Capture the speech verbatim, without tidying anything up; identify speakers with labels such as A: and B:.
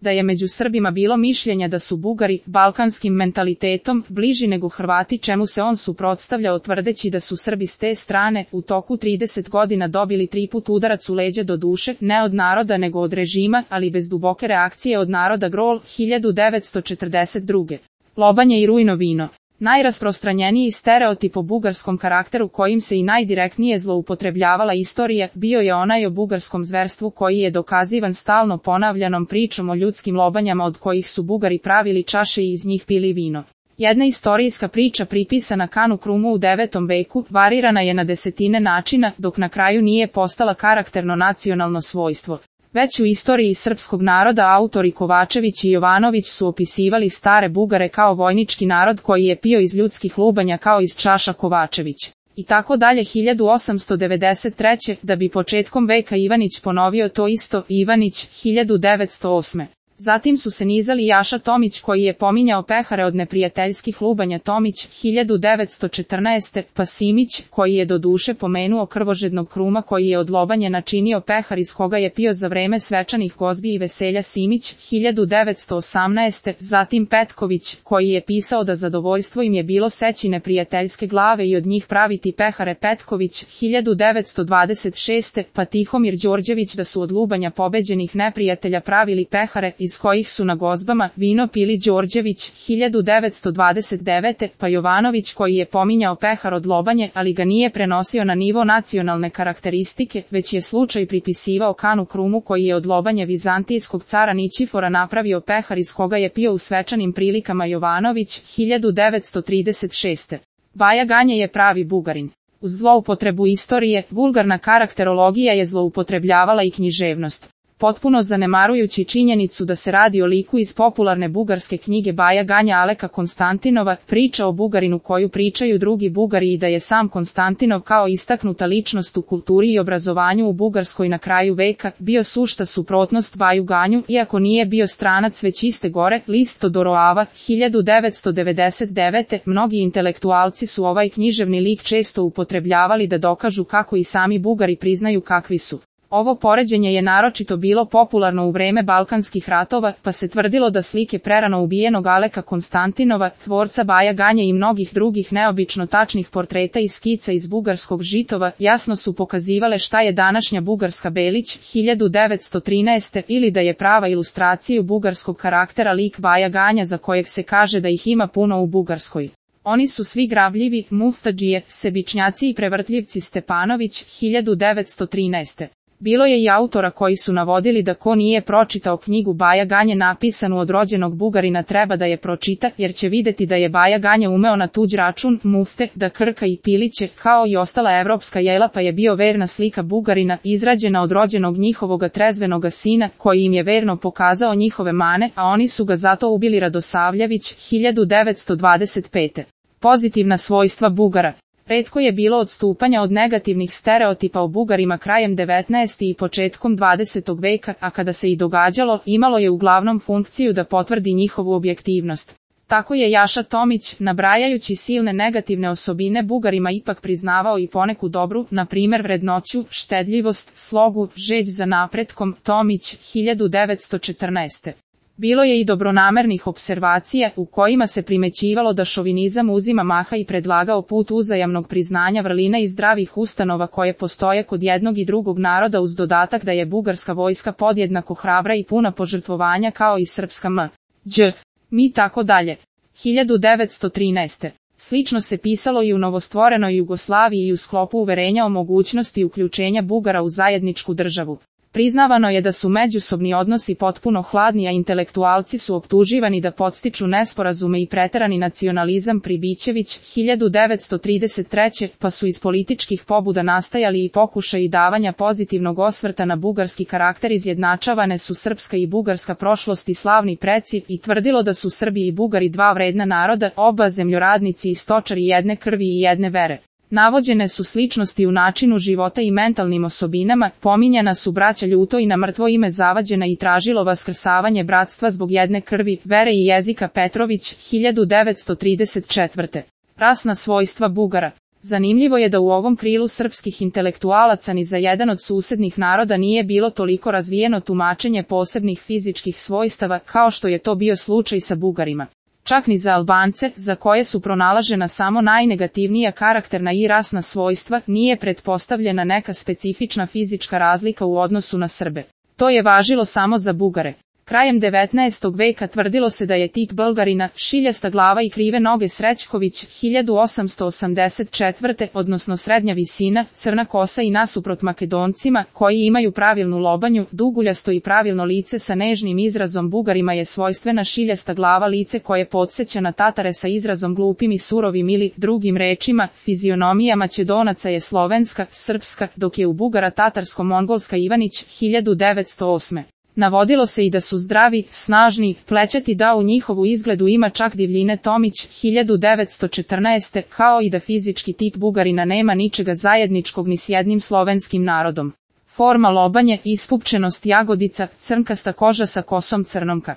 A: da je među Srbima bilo mišljenja da su Bugari, balkanskim mentalitetom, bliži nego Hrvati, čemu se on suprotstavljao tvrdeći da su Srbi s te strane u toku trideset godina dobili tri put udarac u leđa, do duše, ne od naroda nego od režima, ali bez duboke reakcije od naroda. Grol, hiljadu devetsto četrdeset druge. Lobanje i rujno vino. Najrasprostranjeniji stereotip o bugarskom karakteru kojim se i najdirektnije zloupotrebljavala istorija bio je onaj o bugarskom zverstvu koji je dokazivan stalno ponavljanom pričom o ljudskim lobanjama od kojih su Bugari pravili čaše i iz njih pili vino. Jedna istorijska priča pripisana Kanu Krumu u devetom veku varirana je na desetine načina, dok na kraju nije postala karakterno nacionalno svojstvo. Već u istoriji srpskog naroda autori Kovačević i Jovanović su opisivali stare Bugare kao vojnički narod koji je pio iz ljudskih lubanja kao iz čaša Kovačević. I tako dalje. Hiljadu osamsto devedeset treće. Da bi početkom veka Ivanić ponovio to isto, Ivanić, hiljadu devetsto osme. Zatim su se nizali Jaša Tomić koji je pominjao pehare od neprijateljskih lubanja, Tomić, hiljadu devetsto četrnaeste. pa Simić, koji je do duše pomenuo krvožednog Kruma koji je od lobanje načinio pehar iz koga je pio za vreme svečanih gozbi i veselja, Simić, hiljadu devetsto osamnaeste. Zatim Petković, koji je pisao da zadovoljstvo im je bilo seći neprijateljske glave i od njih praviti pehare, Petković, hiljadu devetsto dvadeset šeste. pa Tihomir Đorđević da su od lubanja pobeđenih neprijatelja pravili pehare iz kojih su na gozbama vino pili, Đorđević, hiljadu devetsto dvadeset devete. pa Jovanović koji je pominjao pehar od lobanje, ali ga nije prenosio na nivo nacionalne karakteristike, već je slučaj pripisivao Kanu Krumu koji je od lobanje vizantijskog cara Ničifora napravio pehar iz koga je pio u svečanim prilikama, Jovanović, hiljadu devetsto trideset šeste. Baja Ganje je pravi Bugarin. Uz zloupotrebu istorije, vulgarna karakterologija je zloupotrebljavala i književnost. Potpuno zanemarujući činjenicu da se radi o liku iz popularne bugarske knjige Baja Ganja Aleka Konstantinova, priča o Bugarinu koju pričaju drugi Bugari i da je sam Konstantinov kao istaknuta ličnost u kulturi i obrazovanju u Bugarskoj na kraju veka bio sušta suprotnost Baju Ganju, iako nije bio stranac već iste gore. List Todoroava, hiljadu devetsto devedeset devete. Mnogi intelektualci su ovaj književni lik često upotrebljavali da dokažu kako i sami Bugari priznaju kakvi su. Ovo poređenje je naročito bilo popularno u vreme Balkanskih ratova, pa se tvrdilo da slike prerano ubijenog Aleka Konstantinova, tvorca Baja Ganje i mnogih drugih neobično tačnih portreta i skica iz bugarskog žitova, jasno su pokazivale šta je današnja bugarska Belić, hiljadu devetsto trinaeste. ili da je prava ilustraciju bugarskog karaktera lik Baja Ganja za kojeg se kaže da ih ima puno u Bugarskoj. Oni su svi gravljivi, muftadžije, sebičnjaci i prevrtljivci. Stepanović, hiljadu devetsto trinaeste. Bilo je i autora koji su navodili da ko nije pročitao knjigu Baja Ganje napisanu od rođenog Bugarina treba da je pročita, jer će videti da je Baja Ganje umeo na tuđ račun, mufte, da krka i piliće, kao i ostala evropska jela, pa je bio verna slika Bugarina, izrađena od rođenog njihovoga trezvenoga sina, koji im je verno pokazao njihove mane, a oni su ga zato ubili. Radosavljević, hiljadu devetsto dvadeset pete. Pozitivna svojstva Bugara. Retko je bilo odstupanja od negativnih stereotipa o Bugarima krajem devetnaestog i početkom dvadesetog veka, a kada se i događalo, imalo je uglavnom funkciju da potvrdi njihovu objektivnost. Tako je Jaša Tomić, nabrajajući silne negativne osobine Bugarima, ipak priznavao i poneku dobru, na primjer vrednoću, štedljivost, slogu, žeđ za napretkom. Tomić, hiljadu devetsto četrnaeste. Bilo je i dobronamernih observacija, u kojima se primećivalo da šovinizam uzima maha i predlagao put uzajamnog priznanja vrlina i zdravih ustanova koje postoje kod jednog i drugog naroda, uz dodatak da je bugarska vojska podjednako hrabra i puna požrtvovanja kao i srpska m. đ. mi tako dalje. hiljadu devetsto trinaeste. Slično se pisalo i u novostvorenoj Jugoslaviji i u sklopu uverenja o mogućnosti uključenja Bugara u zajedničku državu. Priznavano je da su međusobni odnosi potpuno hladni, a intelektualci su optuživani da podstiču nesporazume i preterani nacionalizam. Pribićević, hiljadu devetsto trideset treće. pa su iz političkih pobuda nastajali i pokušaji davanja pozitivnog osvrta na bugarski karakter. Izjednačavane su srpska i bugarska prošlost i slavni preci, i tvrdilo da su Srbi i Bugari dva vredna naroda, oba zemljoradnici i stočari jedne krvi i jedne vere. Navođene su sličnosti u načinu života i mentalnim osobinama, pominjana su braća Ljuto i na mrtvo ime zavađena i tražilo vaskrsavanje bratstva zbog jedne krvi, vere i jezika. Petrović, hiljadu devetsto trideset četvrte. Rasna svojstva Bugara. Zanimljivo je da u ovom krilu srpskih intelektualaca ni za jedan od susednih naroda nije bilo toliko razvijeno tumačenje posebnih fizičkih svojstava kao što je to bio slučaj sa Bugarima. Čak ni za Albance, za koje su pronalažena samo najnegativnija karakterna i rasna svojstva, nije pretpostavljena neka specifična fizička razlika u odnosu na Srbe. To je važilo samo za Bugare. Krajem devetnaestog veka tvrdilo se da je tip Bulgarina, šiljasta glava i krive noge Srećković, hiljadu osamsto osamdeset četvrte odnosno srednja visina, crna kosa i nasuprot Makedoncima, koji imaju pravilnu lobanju, duguljasto i pravilno lice sa nežnim izrazom. Bugarima je svojstvena šiljasta glava, lice koje podsjeća na Tatare sa izrazom glupim i surovim ili, drugim rečima, fizionomija Macedonaca je slovenska, srpska, dok je u Bugara tatarsko-mongolska. Ivanić, hiljadu devetsto osme. Navodilo se i da su zdravi, snažni, plećati, da u njihovu izgledu ima čak divljine. Tomić, hiljadu devetsto četrnaeste. Kao i da fizički tip Bugarina nema ničega zajedničkog ni s jednim slovenskim narodom. Forma lobanje, ispupčenost jagodica, crnkasta koža sa kosom crnomka.